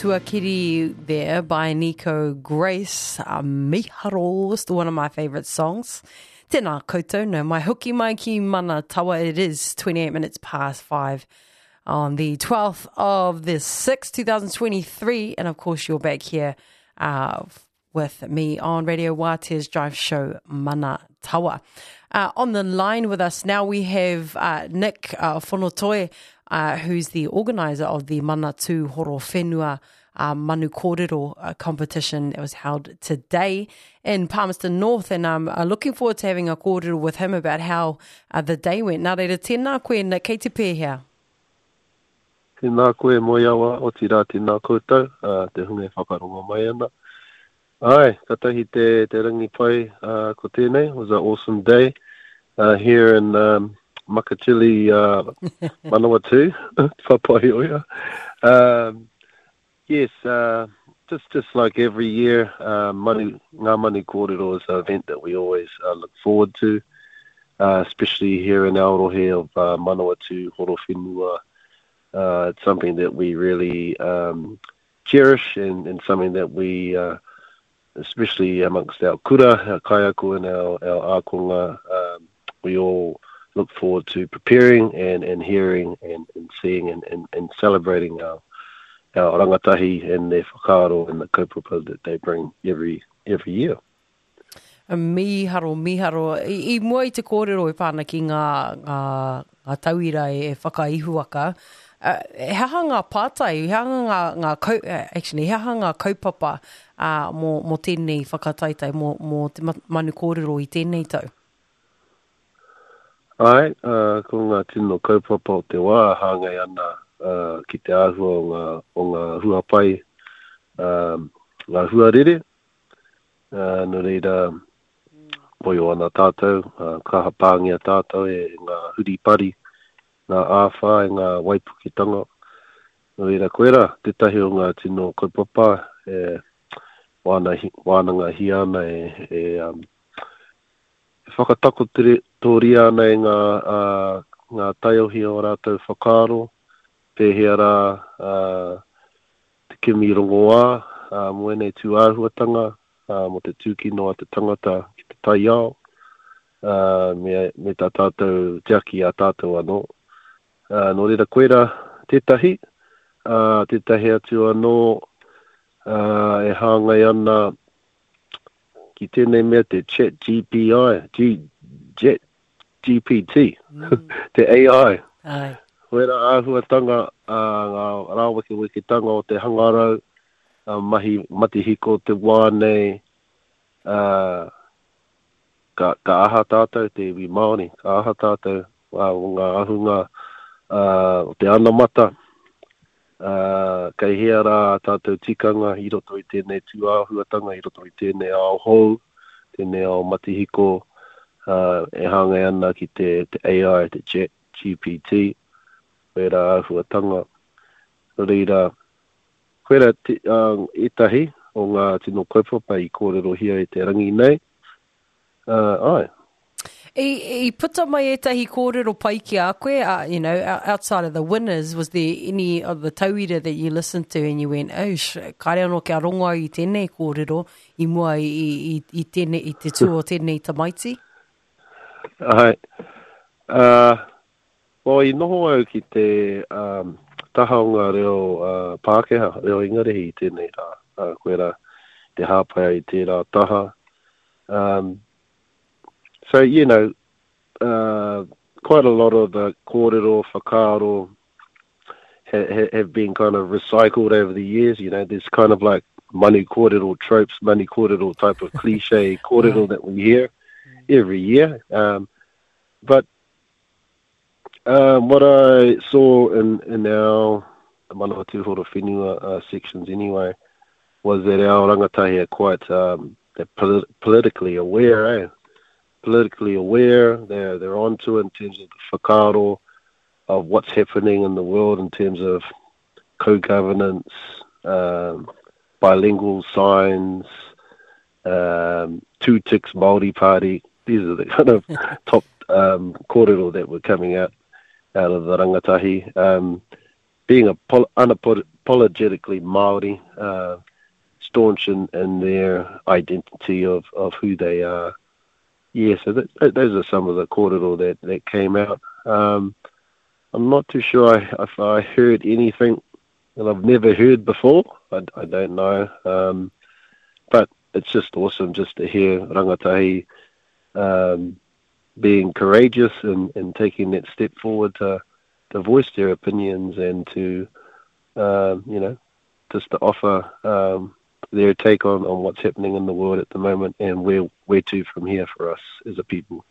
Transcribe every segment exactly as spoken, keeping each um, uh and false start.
Tuakiri there by Nico Grace. Uh, Miharo, still one of my favourite songs. Tēnā koutou, nau mai hoki mai ki Mana Tawa. It is twenty-eight minutes past five on the twelfth of the sixth, two thousand twenty-three. And of course, you're back here, uh, with me on Radio Waatea's Drive Show Mana Tawa. Uh, on the line with us now we have uh, Nick uh, Fonotoe, uh, who's the organiser of the Mana Tū Horowhenua uh, Manu Kōrero uh, competition that was held today in Palmerston North. And I'm uh, looking forward to having a kōrero with him about how uh, the day went. Nā reira, tēnā koe, Nick, kei te pēhea? Tēnā koe, Moeawa, otirā tēnā koutou, uh, te hunga e whakarongo mai ana. Ai, katahi te, te rangi pai, uh, ko tēnei. It was an awesome day, uh, here in um, Makatili, uh, Manawatu, Papaioea. Um, yes, uh, just, just like every year, uh, Manu, Ngā Manu Kōrero is an event that we always, uh, look forward to, uh, especially here in our rohe of, uh, Manawatu, Horowhenua. Uh, it's something that we really, um, cherish and, and something that we, uh, especially amongst our kura, our kaiako and our, our ākonga, um, we all look forward to preparing and, and hearing and, and seeing and, and, and celebrating our, our rangatahi and their whakaaro and the kaupapa that they bring every, every year. Miharo, miharo. I, i mua i te kōrero e pāna ki ngā, ngā, ngā tauira e whakaihuwaka, uh, he aha ngā pātai, he aha ngā, ngā kau, actually, he aha ngā kaupapa, uh, mō, mō tēnei whakataetae, mō, mō te Manu Kōrero i tēnei tau? Ai, uh, ko ngā tino kaupapa o te wā hāngai ana, uh, ki te āhua o ngā, o ngā huapai, um, ngā huarere. Uh, nō reira, moio ana tātou, uh, kaha pāngia tātou e ngā huripari, ngā āwhā e ngā waipuketanga. Nō reira, koera, tētahi o ngā tino kaupapa e wāna, wānanga hia ana e, e, um, e whakatakotoria ana e ngā, uh, ngā taiohi o rātou whakaaro, pēhea rā, uh, te kimi rongoā, uh, mō ēnei tūāhuatanga, uh, mō te tūkino a te tangata ki te taiao, uh, me, me tā tātou tiaki a tātou anō. Uh, nō reira koera tētahi, uh, tētahi atu anō, uh, e hāngai ana ki tēnei mea te Chat G P I, G, Jet G P T, mm. te A I. Ai. Wera āhuatanga, uh, ngā rāwekeweketanga o te hangarau, uh, mahi matihiko te wā nei, uh, ka, ka aha tātou te iwi Māori, ka aha tātou, uh, o ngā ahunga, uh, o te anamata, uh, kei hea rā tātou tikanga i roto i tēnei tūāhuatanga, i roto i tēnei ao hou, tēnei ao matihiko, uh, e hāngai ana ki te, te A I, te Chat G P T, wera āhuatanga. Nō reira, koera te, uh, ētahi o ngā tino kaupapa i kōrerohia i te rangi nei. Uh, ai. I, i puta mai ētahi kōrero pai ki a koe, uh, you know, outside of the winners, was there any of the tauira that you listened to and you went, oh, sh, kāre anō kia rongo au i tēnei kōrero i mua i, i, i, tēnei, i te tū o tēnei tamaiti? Ai. Uh, well, i noho au ki te, um, taha o ngā reo, uh, Pākehā, reo Ingarihi i tēnei rā. Uh, koe rā te hāpai i tērā taha. Um, so, you know, uh, quite a lot of the kōrero, whakaaro ha, ha, have been kind of recycled over the years. You know, there's kind of like manu kōrero tropes, manu kōrero type of cliche kōrero that we hear every year. Um, but, um, what I saw in, in our Manawatu Horowhenua, uh, sections anyway, was that our rangatahi are quite, um, they're polit-, politically aware, eh? Politically aware, they're, they're onto it in terms of the whakaaro of what's happening in the world in terms of co-governance, um, bilingual signs, um, two ticks Māori party. These are the kind of top, um, kōrero that were coming out, out of the rangatahi. Um, being a pol-, unapod-, unapologetically Māori, uh, staunch in, in their identity of, of who they are. Yeah, so that, those are some of the kōrero that, that came out. Um, I'm not too sure I, if I heard anything that I've never heard before. I, I don't know. Um, but it's just awesome just to hear rangatahi um, being courageous and, and taking that step forward to, to voice their opinions and to, uh, you know, just to offer um, their take on, on what's happening in the world at the moment and where, where to from here for us as a people.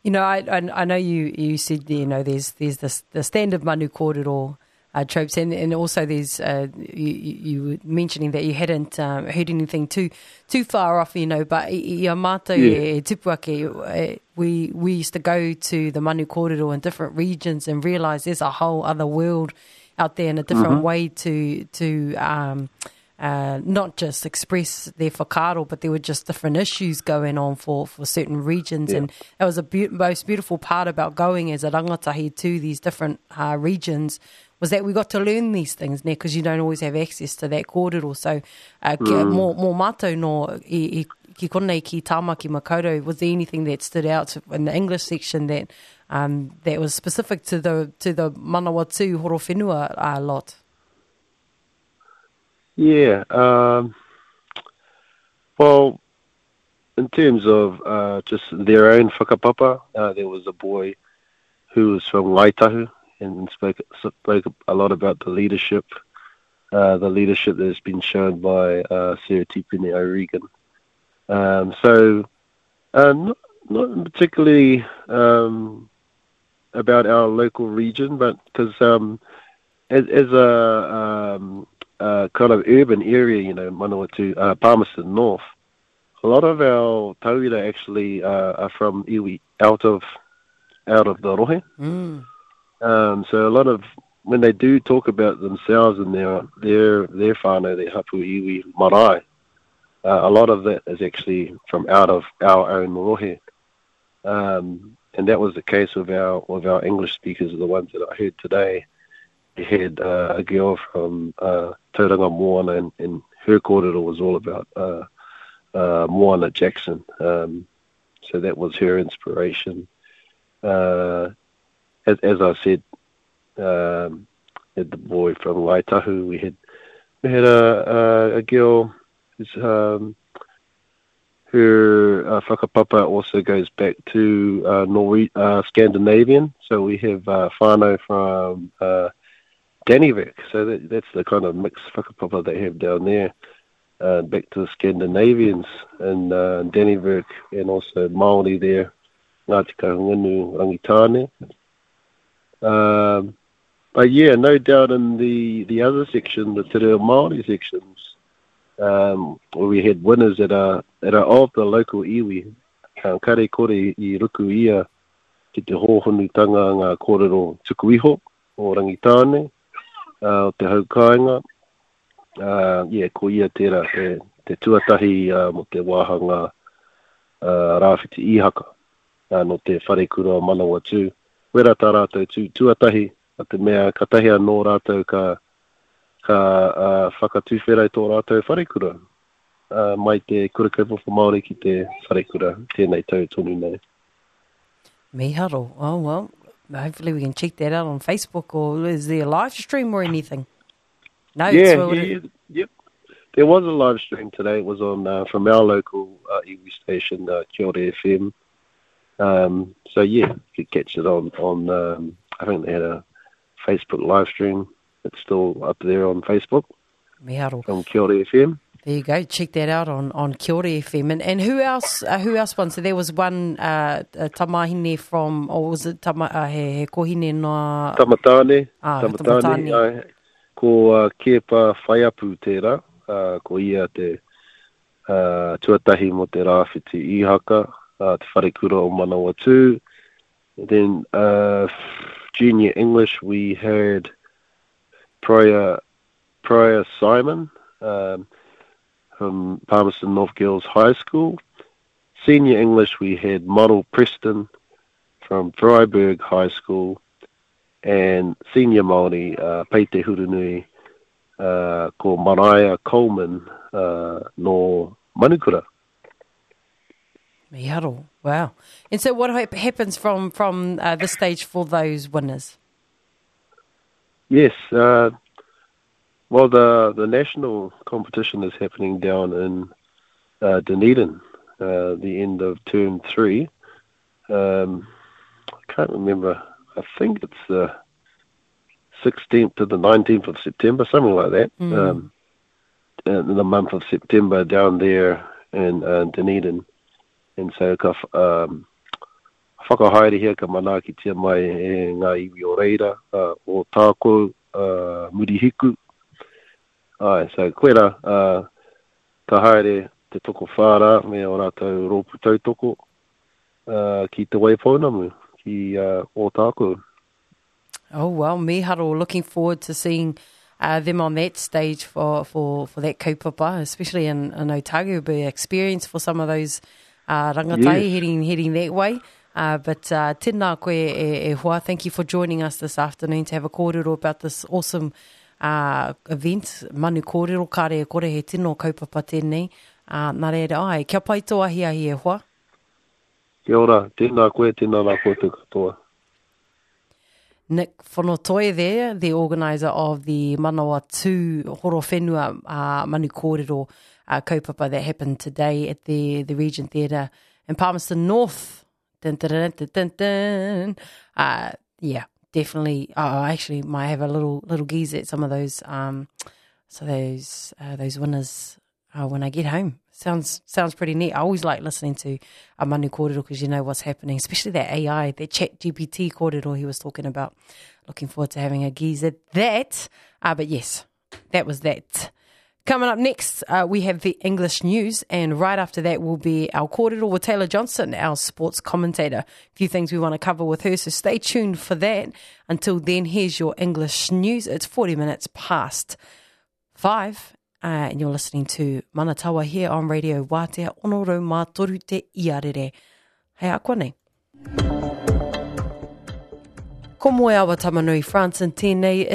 You know, I, I, I know you, you said, you know, there's there's this, the standard manu kōrero uh, tropes, and, and also there's uh, you, you were mentioning that you hadn't um, heard anything too too far off, you know, but i a mātou e tupu ake, we, we used to go to the manu kōrero in different regions and realise there's a whole other world out there and a different mm-hmm. way to, to um, uh, not just express their whakaaro, but there were just different issues going on for, for certain regions. Yeah. And that was the be- most beautiful part about going as a rangatahi to these different uh, regions, was that we got to learn these things, because you don't always have access to that kōrero. So, uh, mm. mō, mō mātou no, i, i, ki konei ki Tāmaki Makaurau, was there anything that stood out in the English section that um, that was specific to the to the Manawatū Horowhenua uh, lot? Yeah, um, well, in terms of uh, just their own whakapapa, uh, there was a boy who was from Ngāi Tahu and spoke, spoke a lot about the leadership, uh, the leadership that has been shown by uh, Sarah Tipene O'Regan. Um, so, uh, not, not particularly um, about our local region, but because um, as, as a um, uh, kind of urban area, you know, Manawatu, uh, Palmerston North, a lot of our tauira actually uh, are from iwi out of out of the rohe. Mm. Um, so a lot of when they do talk about themselves and their their their whānau, their hapu iwi marae, uh, a lot of that is actually from out of our own rohe. Um, and that was the case with our with our English speakers, the ones that I heard today. We had uh, a girl from uh, Tauranga Moana, and, and her kōrero was all about uh, uh, Moana Jackson. Um, so that was her inspiration. Uh, as, as I said, um, had the boy from Ngāi Tahu. We had we had a a, a girl who's um, her uh, whakapapa also goes back to uh, Norwe- uh, Scandinavian. So we have uh, whānau from uh, Dannevirke. So that, that's the kind of mixed whakapapa they have down there. Uh, back to the Scandinavians and uh, Dannevirke, and also Māori there, Ngāti Kahungunu, Rangitāne. Um, but yeah, no doubt in the, the other section, the Te Reo Māori sections, um, where we had winners that are, that are of the local iwi. Um, kare kore i ruku ia ki te hōhonutanga ngā kōrero tuku iho o Rangitāne, uh, o te haukāinga. Uh, yeah, ko ia tērā, te, te tuatahi uh, mo te wāhanga uh, Rāwhiti Ihaka, uh, no te wharekura o Manawatū. Wera tā rātou tū tuatahi, a te mea katahi anō rātou ka, ka uh, whakatūwhera i tō rātou wharekura. Uh, mai te kura kaupapa Māori ki te wharekura, tēnei tau tonu nei. Miharo. Oh, well, hopefully we can check that out on Facebook, or is there a live stream or anything? No, yeah, yeah, yeah, yep. There was a live stream today. It was on uh, from our local uh, iwi station, uh, Kiore F M. Um, so yeah, you could catch it on, on um, I think they had a Facebook live stream. It's still up there on Facebook. Miharo. From Kiore F M. There you go. Check that out on, on Kiore F M. And, and who else uh, who else won? So there was one uh, tamahine from, or was it tama, uh, he, he kohine no... Tamatane. Ah, Tamatane. Tamatane. Uh, ko uh, Kepa Whaiapu tērā, uh, ko ia te uh, tuatahi mo te Rāwhiti Ihaka, uh, te wharekura o Manawatū. Then uh, junior English, we had Prior, Prior Simon um, from Palmerston North Girls High School. Senior English, we had Model Preston from Freiburg High School. And senior Māori, uh, Peite Hurunui, uh, ko Mariah Coleman uh, no Manukura. Miharo. Wow. And so what happens from, from uh, this stage for those winners? Yes. Uh, well, the, the national competition is happening down in uh, Dunedin, uh, the end of term three. Um, I can't remember. I think it's the sixteenth to the nineteenth of September, something like that. Mm. Um, in the month of September down there in uh, Dunedin. And so ka um, whakahaerehia ka manaakitia mai e ngā iwi o reira, uh, o tākou, uh, Murihiku. Ai, so koera, uh, ka haere te toko whāra me o rātou rōpū tautoko uh, ki Te Waipounamu, ki uh, Ōtākou. Oh, well, miharo, looking forward to seeing uh, them on that stage for, for, for that kaupapa, especially in, in Otago. It'll be an experience for some of those uh, rangatahi yes. heading, heading that way. Uh, but uh, tēnā koe e, e hoa, thank you for joining us this afternoon to have a kōrero about this awesome uh, event, Manu Kōrero, kāre e kore he tino kaupapa tēnei. Uh, nā reira ai, kia pai tō ahiahi e hoa. Kia ora, tēnā koe, tēnā rā koutou katoa. Nick Fonotoe there, the organiser of the Manawatū Horowhenua uh, Manu Kōrero uh, kaupapa that happened today at the, the Regent Theatre in Palmerston North. Dun, dun, dun, dun, dun, dun. Uh, yeah, definitely. Oh, I actually might have a little little gaze at some of those um, so those uh, those winners uh, when I get home. Sounds sounds pretty neat. I always like listening to a Manu Kōrero because you know what's happening, especially that A I, that Chat G P T kōrero he was talking about. Looking forward to having a gaze at that. Uh, but yes, that was that. Coming up next, uh, we have the English news, and right after that will be our kōrero with Taylor Johnson, our sports commentator. A few things we want to cover with her, so stay tuned for that. Until then, here's your English news. It's forty minutes past five. Uh, and you're listening to Manatawa here on Radio Wātea, ono rau mā toru te iarere. Hei a nei. Ko Moeawa Tamanui Franson tēnei.